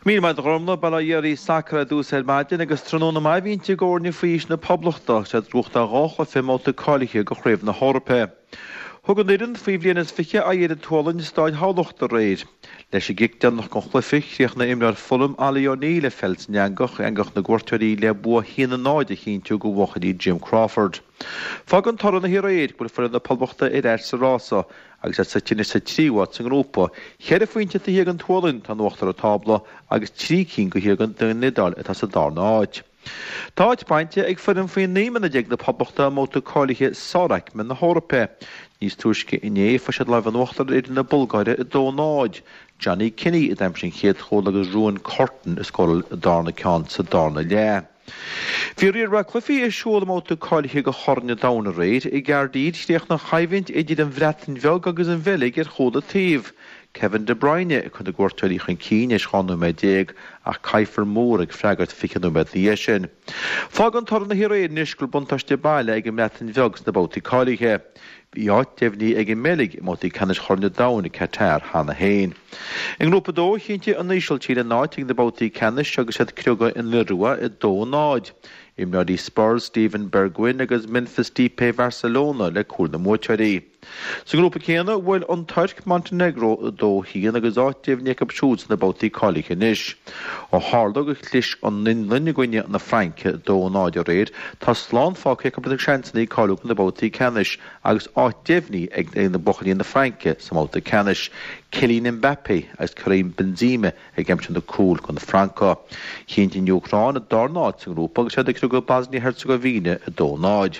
Míle maith agat a Ghormlaith, bail ó Dhia oraibh sacar ar dtús ar maidin agus tráthnóna maith a bhí inti d'fhoirne faoi aois na Poblachta agus iad ag gnóthachtáil dhá chluiche i mbabhta cáilithe do Chraobh na hEorpa. Thug an fhoireann faoi bhliain is 20 aghaidh ar an tSualainn i Stáid Thamhlachta aréir. Leis an gcic deireanach den chluiche, chríochnaigh imreoir Fulham, Ollie O'Neill, an pheil san eangach, eangach na gcuairteoirí le bua 1-0 a chinntiú do bhuachaillí Jim Crawford. Fágann toradh na haréir go bhfuil foireann na Poblachta ar ais sa rása Agus iad suite anois sa tríú háit sa ngrúpa, cheithre phointe taobh thiar den tSualainn atá in uachtar an tábla agus trí cinn taobh thiar den Iodáil atá sa darna háit. Tá áit bainte ag foireann faoi 19 mbliana na Poblachta i mbabhta cáilithe sáraicme na hEorpa. Níos túisce inné fuair siad lámh in uachtar ar fhoireann na Bulgáire 2-0. Johnny Kenny a d'aimsigh an chéad chúl agus Ruan Curtin a scóráil an darna ceann sa darna leath. Bhí riar mhaith cluichí ar siúl i mbabhta cáilithe do Chorn an Domhain aréir. I gCaerdydd, chríochnaigh an choimhlint idir an Bhreatain Bheag agus an Bheilg ar chúl an taobh. Kevin De Bruyne ag cur na gcuairteoirí chun cinn théis 12 nóiméad ach Kieffer Moore ag freagairt 20 nóiméad ina dhiaidh sin. Fágann toradh na haréir anois go bhfuil buntáiste baile ag an mBreatain Bheag sna babhtaí cáilithe. Bhí áit deimhnithe ag an mBeilg i mbabhtaí ceannais Chorn an Domhain i Qatar cheana féin. I nGrúpa 2, chinntigh an Ísiltír a n-áit ag na babhtaí ceannais agus iad ag criogadh an Iorua 2-0. Imreoirí Spurs Steven Bergwijn agus Memphis Depay Bharcelona le cúil na mbuaiteoirí. Sa ngrúpa céanna, bhuail an Tuirc Montenegro 2-1 agus áit deimhnithe acu siúd sna babhtaí cáilithe anois. Ó tharla gur chlis an Fhionlainn i gcoinne na Fraince 2-0 aréir, tá slán fágtha acu lena seansanna cáiliú do na babhtaí ceannais agus áit deimhnithe ag na buachaillí na Fraince sa mbabhta ceannais, Kylian Mbappé agus Karim Benzema ag aimsiú na cúil do na Francaigh. Chinntigh an Úcráin a darna áit sa ngrúpa agus iad ag criogadh Bosnia-Herzegovina 2-0.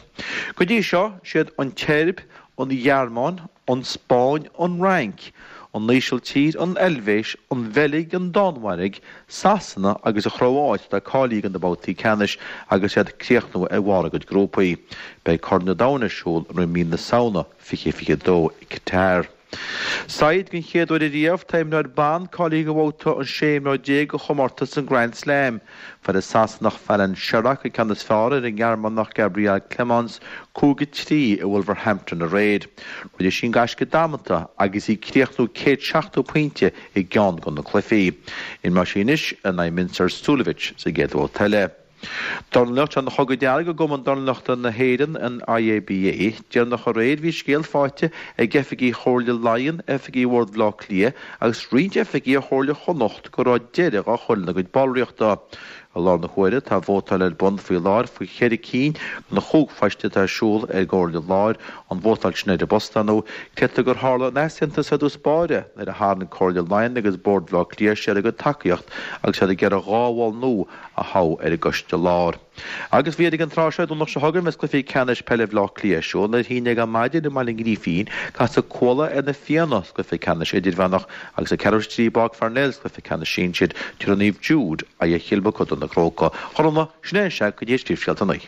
Go dtí seo, siad an tSeirb, an Ghearmáin, an Spáinn, an Fhrainc, an Ísiltír, an Eilvéis, an Bheilg, an Danmhairg, Sasana agus an Chróáit atá cáilithe do na babhtaí ceannais agus iad ag críochnú ar bharr a gcuid grúpaí. Beidh Corn an Domhain ar siúl i mí na Samhna 2022 i Qatar. Saighead, Den chéad uair ariamh, tá imreoir ban cáilithe do bhabhta an 16 imreoir de chomórtas an Grand Slam. Fuair an Sasanach Fallon Sherrock an ceann is fearr ar an nGearmánach Gabriele Clemens, 5-3, i Wolverhampton aréir. Rinne sí an gaisce damanta agus í ag críochnú 170 pointe i gceann de na cluichí. Imreoidh sí anois in aghaidh Mensur Suljovic sa gcéad bhabhta eile. Dornálaíocht, Tá an Chogadh Dearg i gCumann Dornálaíochta na hÉireann, an IABA. Deireanach aréir bhí scéal faighte ag oifigigh Chomhairle Laighean, oifigigh Bhord Bhaile Átha Cliath agus roinnt oifigigh ó Chomhairle Chonnacht go raibh deireadh á chur lena gcuid ballraíochta. I láthair na huaire tá vótáil ar bun faoi láthair faoi cheithre cinn de na chúig phoist atá ar siúl ar an gComhairle Láir, an vótáil sin ar an bpost, ar ndóigh. Creidtear gur tharla an t-easaontas ar dtús báire nuair a tharraing Comhairle Laighean agus Bord Bhaile Átha Cliath siar a gcuid tacaíocht agus iad ag iarraidh 2 bhall nua a thoghadh ar an gcoiste láir. Agus bhí ag an tráth seo, Domhnach seo chugainn, bheas cluichí ceannais peile Bhaile Átha Cliath ar siúl. Ar a haon déag ar maidin i mBaile an Ghrífín, casfaidh Cuala ar na Fianna sa gcluiche ceannais idirmheánach agus ag ceathrú tar éis a trí i bPáirc Pharnell sa gcluiche ceannais sinsir, tabharfaidh Naomh Jude aghaidh ar Chill Mochuda na gCrócach. A Ghormfhlaith, sin é an sea go dtí scríobh scéalta naoi.